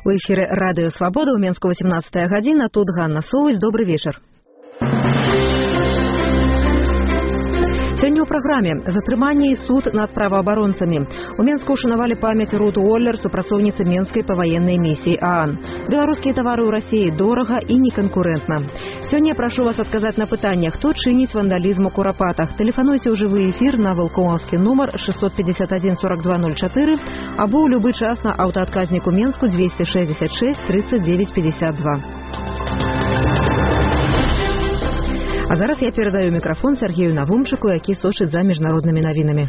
У эфире «Радио Свобода», у Менска 18 гадзіна. Тут Ганна Соваць. Добрый вечер. Сёння ў праграме затрыманне і суд над праваабаронцамі. У Менску ушанавалі памяць Рут Уоллер, супрацоўніцы Менскай паваеннай місіі ААН. Беларускія тавары ў Расіі дорага і неканкурэнтна. Сёння я прашу вас адказаць на пытанне, хто чыніць вандалізм у Курапатах. Тэлефануйце ў жывы эфір на вулкоўскі нумар 651 4204 або ў любы час на аўтаадказніку Менску 266 39 52. А зараз я передаю микрофон Сергею Навумчику, які сочыць за міжнароднымі навінамі.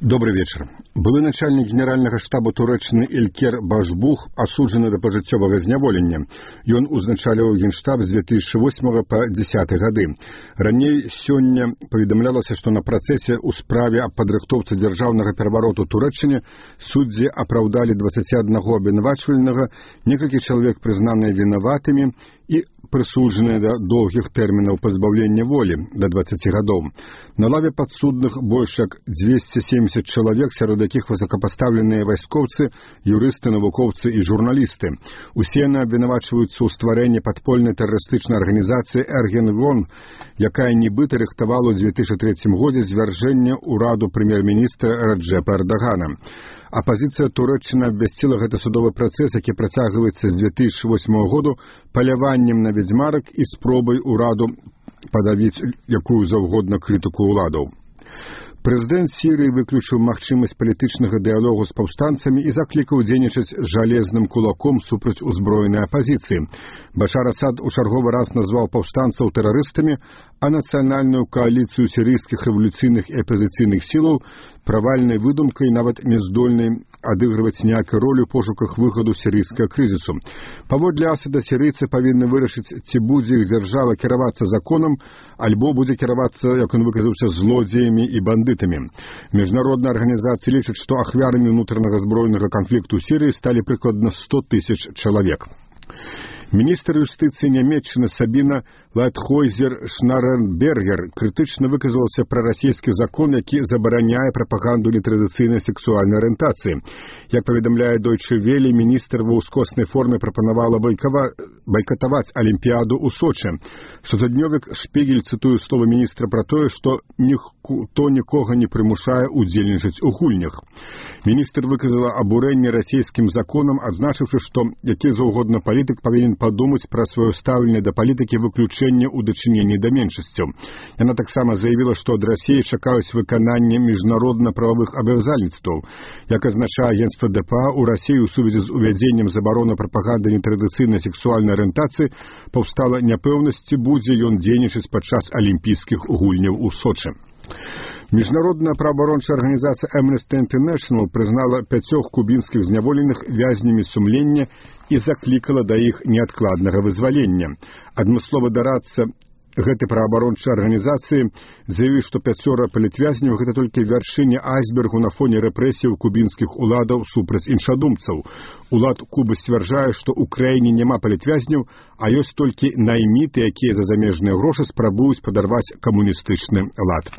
Добрый вечер. Былы начальник генерального штаба Туреччыны Ілкер Башбух асуджаны да пажыццёвага зняволення. Ён узначаліў генштаб з 2008 по 2010 гады. Раней сёння паведамлялася, што на працэсе ў справе аб падрыхтоўцы дзяржаўнага перавароту Туреччыне суддзі апраўдалі 21 абвінавачвальнага, некалькі чалавек прызнаныя вінаватымі і прысуджаныя да доўгіх тэрмінаў пазбаўлення волі да 20 гадоў. На лаве падсудных больш як 270 чалавек, сярод якіх высокапастаўленыя вайскоўцы, юрысты, навукоўцы і журналісты. Усе яны абвінавачваюцца ў стварэнні падпольнай тэрарыстычнай арганізацыі Эргенгон, якая нібыта рыхтавала ў 2003 годзе звяржэнне ўраду прэм'ер-міністра Раджэпа Эрдагана. Апазіцыя Туреччыны абвясціла гэты судовы працэс, які працягваецца з 2008 году паляваннем на ведзьмарак і спробай ураду падавіць якую заўгодна крытыку ўладаў. Прэзідэнт Сірыі выключыў магчымасць палітычнага дыялогу з паўстанцамі і заклікаў дзейнічаць жалезным кулаком супраць узброенай апазіцыі. Башар Асад у чарговы раз назваў паўстанцаў тэрарыстамі, а нацыянальную кааліцыю сірыйскіх рэвалюцыйных і апазіцыйных сілаў правальнай выдумкай, нават няздольнай адыгрываць ніякай ролі ў пошуках выхаду сірыйскага крызісу. Паводле Асада сірыйцы павінны вырашыць, ці будзе іх дзяржава кіравацца законам, альбо будзе кіравацца, як ён выказаўся, злодзеямі і бандытамі. Міжнародная арганізацыя лічыць, што ахвярамі ўнутранага збройнага канфлікту ў Сірыі сталі прыкладна 100 тысяч чалавек. Міністр юстыцыі Нямецчыны Сабіна Лайтхойзер-Шнаренбергер крытычна выказалася пра расійскі закон, які забараняе прапаганду нетрадыцыйнай сексуальнай арыентацыі. Як паведамляе Deutsche Welle, міністр ва ўскоснай форме прапанавала байкатаваць Алімпіяду ў Сочы. Штотыднёвік Шпігель цытуе словы міністра пра тое, што ніхто нікога не прымушае удзельнічаць у гульнях. Міністр выказала абурэнне расійскім законам, адзначыўшы, што які заўгодна палітык павінен падумаць пра сваё стаўленне да палітыкі выключэння ў дачыненні да меншасцяў. Яна таксама заявіла, што ад Расіі чакаюць выканання міжнародна-прававых абавязальніцтваў. Як азначае агенцтва ДПА, у Расіі ў сувязі з увядзеннем забароны прапаганды нетрадыцыйнай сексуальнай арыентацыі паўстала няпэўнасць, ці будзе ён дзейнічаць падчас алімпійскіх гульняў у Сочы. Міжнародная праваабарончая арганізацыя Amnesty International прызнала 5 кубінскіх зняволеных вязнямі сумлення і заклікала да іх неадкладнага вызвалення. Адмысловы дарадца гэтай праваабарончай арганізацыі заявіў, што 5 палітвязняў – гэта толькі вяршыня айсбергу на фоне рэпрэсіяў кубінскіх уладаў супраць іншадумцаў. Улад Кубы сцвярджае, што ў краіне няма палітвязняў, а ёсць толькі найміты, якія за замежныя грошы спрабуюць падарваць камуністычны лад.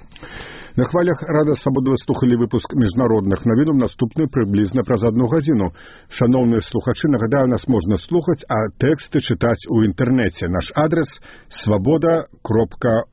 На хвалях Рада Свабоды вы слухали выпуск міжнародных навінаў, наступны прыблізна праз 1 гадзіну. Шановныя слухачы, нагадаю, нас можна слухаць, а тэксты чытаць у інтэрнэце. Наш адрес – svoboda.org.